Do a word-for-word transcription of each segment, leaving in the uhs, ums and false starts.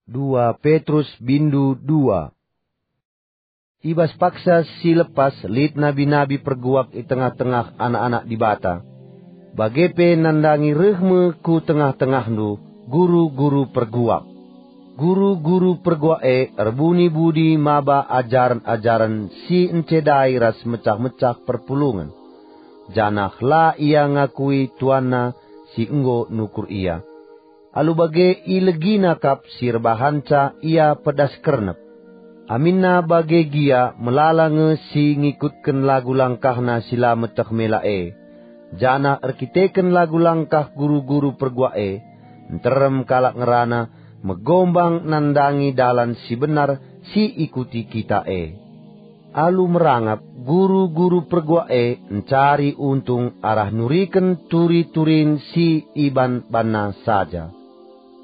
Dua Petrus bindu dua. I bas paksa si lepas lit nabi-nabi perguak i tengah-tengah anak-anak Dibata. Bage pe nandangi reh me ku tengah-tengahndu guru-guru perguak. Guru-guru perguak e erbuni budi maba ajaren-ajaren si encedai ras mecah-mecah perpulungen, janah la ia ngakui tuanna si enggo nukur ia. Alu bage ilegina kap si erbahanca ia pedas kernep. Aminna bage gia melala nge si ngikutken lagu langkahna si la meteh mela e, janah erkiteken lagu langkah guru-guru perguak e, nterem kalak ngerana megombang nandangi dalan si benar si ikuti kita e. Alu merangap, guru-guru perguak e ncari untung arah nuriken turi-turin si iban-banna saja.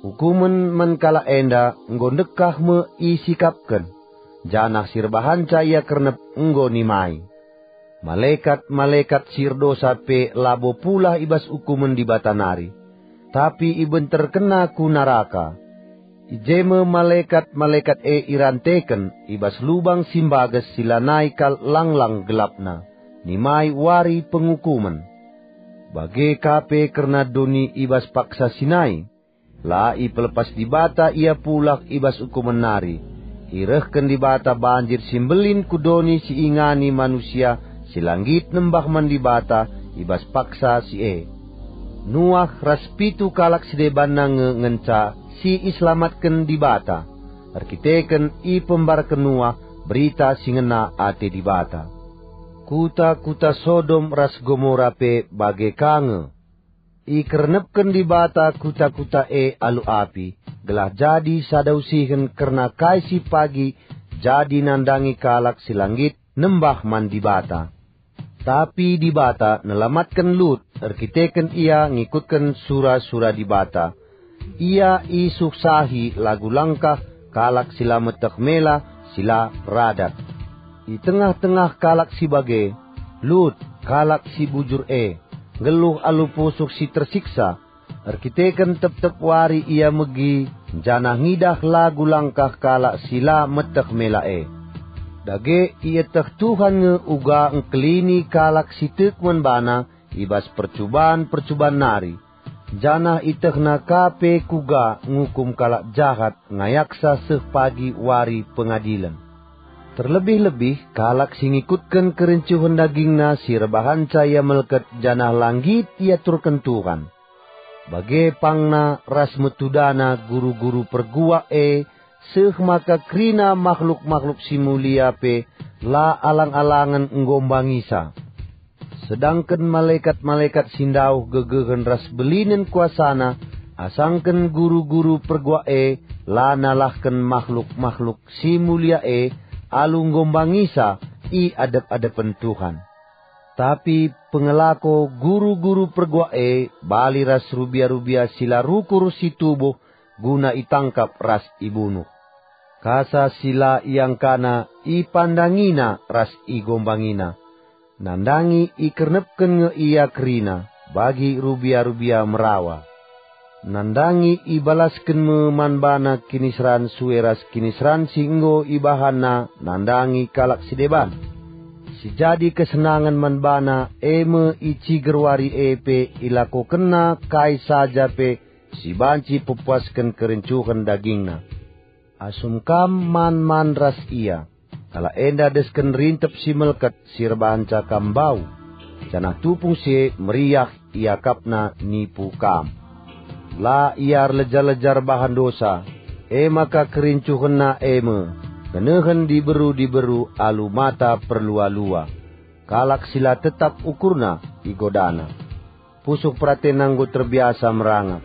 Ukumen man kalak enda enggo ndekah me isikapken, janah si erbahanca ia kernep enggo nimai. Malekat-malekat si erdosa pe labo pulah i bas ukumen Dibata nari, tapi ibenterkenna ku naraka. I je me malekat-malekat e iranteken i bas lubang si mbages si lanai kal lang-lang gelapna, nimai wari pengukumen. Bage ka pe kerna doni i bas paksa si nai. La ipelepas Dibata ia pulah i bas ukumen nari. Irehken Dibata banjir si mbelin ku doni si ingani manusia si la nggit nembah man Dibata i bas paksa si e. Nuah ras pitu kalak si debanna nge ngenca si iselamatken Dibata, erkiteken ipembarken Nuah berita si ngena ate Dibata. Kuta-kuta Sodom ras Gomora pe bage ka nge. Ikernepken Dibata kuta-kuta e alu api, gelah jadi sada usihen kerna kai si pagi jadi nandangi kalak si la nggit nembah man Dibata. Tapi Dibata nelamatken Lut erkiteken ia ngikutken sura-sura Dibata. Ia isuksahi lagu langkah kalak si la meteh mela, si la radat. I tengah-tengah kalak si bage, Lut, kalak si bujur e, nggeluh alu pusuh si tersiksa, erkiteken tep-tep wari ia megi janah ngidah lagu langkah kalak si la meteh mela e. Dage ieteh Tuhan nge uga engkelini kalak si tek man bana i bas percuban-percuban nari, janah ietehna ka pe kuga ngukum kalak jahat ngayaksa seh pagi wari pengadilen. Terlebih-lebih kalak si ngikutken kerincuhen dagingna si erbahanca ia melket janah la nggit iaturken Tuhan. Bage pangna ras metudana guru-guru perguak e, seh maka kerina makhluk-makhluk si mulia pe la alang-alangen enggo mbangisa. Sedangken malekat-malekat si ndauh gegehen ras belinen kuasana, asangken guru-guru perguak e la nalahken makhluk-makhluk si mulia e alu enggo mbangisa i adep-adepen Tuhan. Tapi pengelako guru-guru perguak e bali ras rubia-rubia si la rukur si tubuh guna itangkap ras ibunuh. Kasa si la iangkana ipandangina ras igombangina. Nandangi ikernepken nge ia kerina bagi rubia-rubia merawa. Nandangi ibalasken me man bana kiniseran sue ras kiniseran si enggo ibahanna nandangi kalak si deban. Si jadi kesenangen man bana e me i ciger wari e pe ilakokenna kai saja pe si banci pepuasken kerincuhen dagingna. Asum kam man-man ras ia, kalak enda desken rintep si melket si erbahanca kam mbau, janah tupung si e meriah iakapna nipu kam. La ia erleja-leja erbahan dosa, e maka kerincuhenna e me ngenehen diberu-diberu alu mata perlua-lua. Kalak si la tetap ukurna igodana. Pusuh peratenna enggo terbiasa merangap.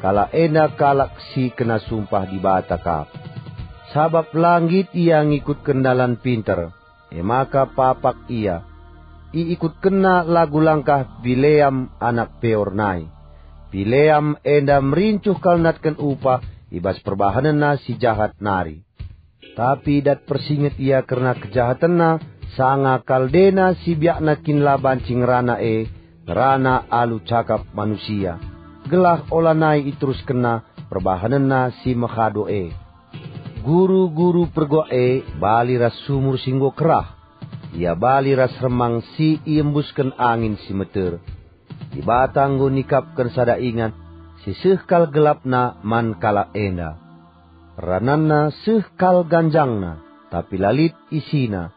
Kalak enda kalak si kena sumpah Dibata kap. Sabap la nggit ia ngikutken dalan pinter, e maka papak ia. Iikutkenna lagu langkah Bileam anak Peor nai. Bileam enda merincuh kal natken upah i bas perbahanenna si jahat nari. Tapi dat persinget ia kerna kejahatenna, sanga kal dena si biakna kin la banci ngerana e, ngerana alu cakap manusia, gelah olanai iteruskenna perbahanenna si mehado e. Guru-guru perguak e bali ras sumur si enggo kerah. Ia bali ras remang si iembusken angin si meter. Dibata enggo nikapken sada ingan si seh kal gelapna man kalak enda. Rananna seh kal ganjangna, tapi la lit isina.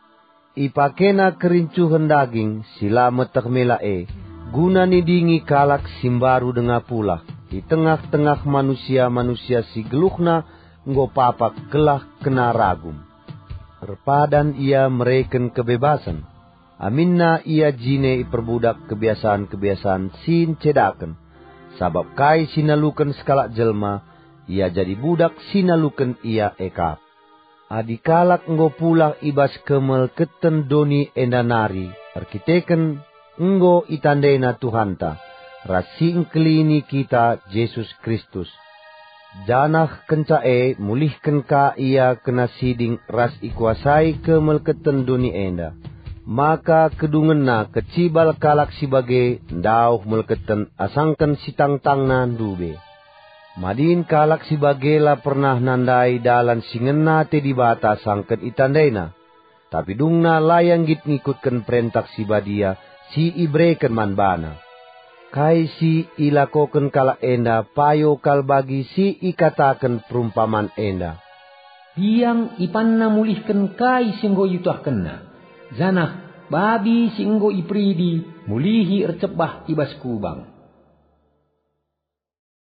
Ipakena kerincuhen daging si la meteh mela e, guna nidingi kalak si mbaru denga pulah i tengah-tengah manusia-manusia si geluhna enggo papak gelah kena ragum. Erpadan ia mereken kebebasen. Aminna ia jine iperbudak kebiasan-kebiasan si ncedaken, sabap kai si naluken sekalak jelma, ia jadi budak si naluken ia e kap. Adi kalak enggo pulah i bas kemelketen doni enda nari erkiteken enggo itandena Tuhanta ras si engkelini kita, Jesus Kristus. Janah kenca e mulihken ka ia kena siding ras ikuasai kemelketen doni enda. Maka kedungenna kecibal kalak si bage ndauh melketen asangken si tangtangna ndube. Madin kalak si bage la pernah nandai dalan si ngena ate Dibata sangken itandaina, tapi dungna la ia nggit ngikutken perentah si badia si ibereken man bana. Kai si ilakoken kalak enda payo kal bagi si ikataken perumpaman enda. Biang ipanna mulihken kai si enggo iutahkenna, janah babi si enggo iperidi mulihi ercebah i bas kubang.